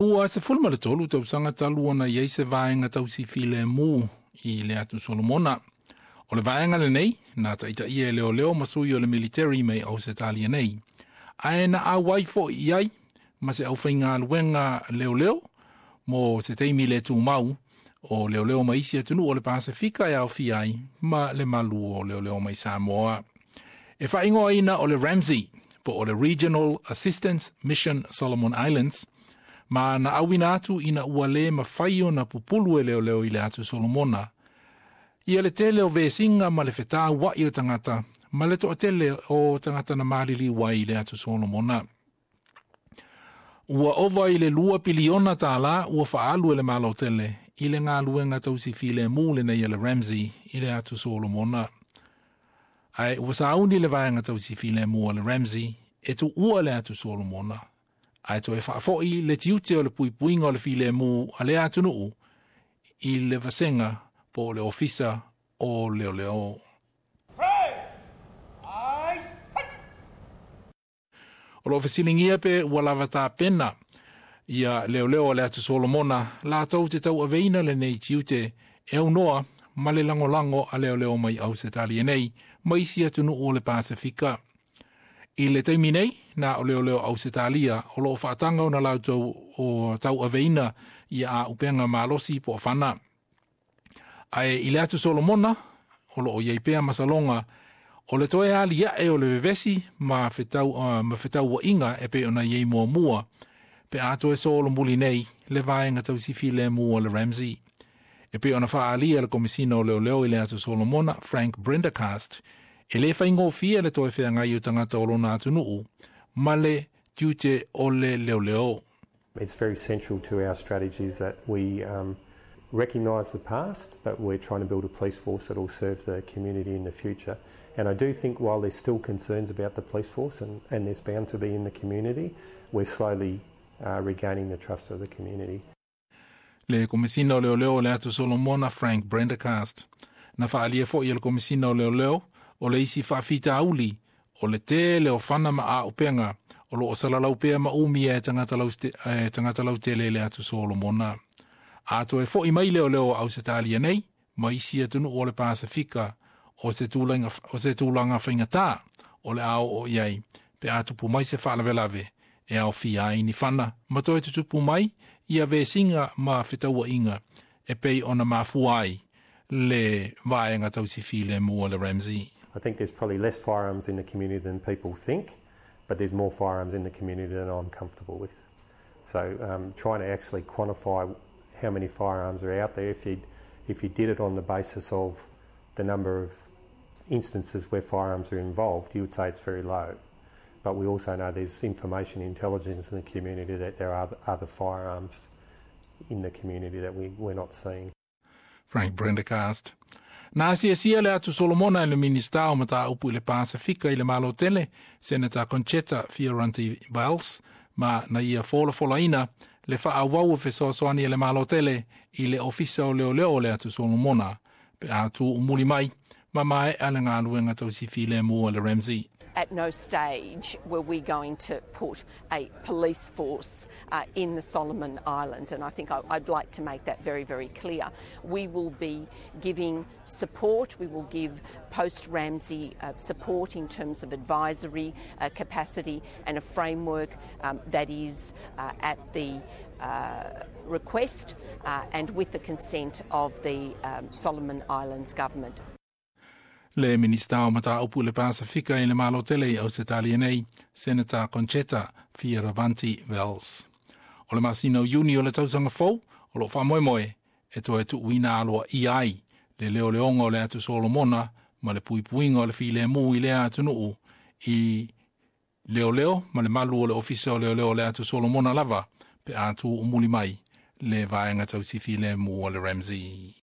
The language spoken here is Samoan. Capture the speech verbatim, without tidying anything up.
Ua sefulu ma le tolu tausaga talu ona i ai se vaega tausi filemu i le atu Solomona. O le vaega lenei, na taitaia e leoleo ma sui o le military mai Ausetalia nei. Ae na auai foi i ai ma se aufaigaluega leoleo mo se taimi le tumau o leoleo mai isi atunuu o le Pasefika e aofia ai ma le malu o leoleo mai Samoa. E faaigoaina o le RAMSI, po o le Regional Assistance Mission Solomon Islands, ma na auina atu ina ua le mafai ona pupulu e leoleo i le atu Solomona. Ia le tele o vesiga ma le fetaua'i o tagata, ma le toatele o tagata na maliliu ai i le atu Solomona. Ua ova i le lua piliona tālā ua faaalu e le Malo tele i le galuega tausi filemu lenei a le RAMSI i le atu Solomona. Ae ua sauni le vaega tausi filemu a le RAMSI e tuua le atu Solomona. Ae toe faafo'i le tiute o le puipuiga o le filemu a lea atunuu i le vasega po o le ofisa o leoleo. O loo fesiligia pe ua lava tapena ia leoleo o le atu Solomona latou te tauaveina lenei tiute e aunoa ma le lagolago a leoleo mai Ausetalia nei ma isi atunuu o le Pasefika. I le taimi nei, na o leoleo Ausetalia o loo faataga ona latou o tauaveina ia auupega malosi po o fana. Ae i le atu Solomona, o loo iai pea masaloga o le toe aliae o le vevesi ma fetau, uh, ma fetauaiga e pei ona iai muamua pe a toe solomuli nei le vaega tausi filemu o le RAMSI. E pei ona faaalia le Komisina o Leoleo i le atu Solomona, Frank Prendergast, e le faigofie le toe feagai o tagata o lona atunuu ma le tiute o le leoleo. It's very central to our strategies that we um, recognise the past, but we're trying to build a police force that will serve the community in the future. And I do think while there's still concerns about the police force, and, and there's bound to be in the community, we're slowly uh, regaining the trust of the community. Le Komisina o Leoleo o le atu Solomona, Frank Prendergast. Na faaalia foi e le Komisina o Leoleo o le isi faafitauli o le tele o fana ma auupega o loo salalau pea ma umia e tagata e tagata lautele i le atu Solomona. A toe foi mai leoleo o Ausetalia nei ma isi atunuu o le Pasefika o se tulaga, o se tulaga faigata o le a oo i ai pe a tupu mai se faalavelave e aofia ai ni fana ma toe tutupu mai ia vesiga ma fetauaiga e pei ona mafua ai le vaega tausi filemu o le RAMSI. I think there's probably less firearms in the community than people think, but there's more firearms in the community than I'm comfortable with. So um, trying to actually quantify how many firearms are out there, if you, if you did it on the basis of the number of instances where firearms are involved, you would say it's very low. But we also know there's information intelligence in the community that there are other firearms in the community that we, we're not seeing. Frank Prendergast. Na asiasia le atu Solomona e le Minista o Mataupu i le Pasefika i le Malo Tele, Senator Concetta Fierravanti Wells, ma na ia folafolaina le faaauau o fesoasoani e le Malo Tele i le ofisa o leoleo o le atu Solomona, pe a tuumuli mai, ma maea le galuega tausi filemu a le RAMSI. At no stage were we going to put a police force uh, in the Solomon Islands, and I think I, I'd like to make that very, very clear. We will be giving support, we will give post-RAMSI uh, support in terms of advisory uh, capacity and a framework um, that is uh, at the uh, request uh, and with the consent of the um, Solomon Islands government. Le Minista o Mataupu i le Pasefika i le Malo Tele i Ausetalia nei, Senator Concetta Fierravanti Wells. O le masina o Iuni o le tausaga fou, o loo faamoemoe e toe tuuina aloaia ai le leoleoga o le atu Solomona ma le puipuiga o le filemu i lea atunuu i leoleo ma le malu o le ofisa o leoleo o le atu Solomona lava pe a tuumuli mai le vaega tausi filemu o le RAMSI.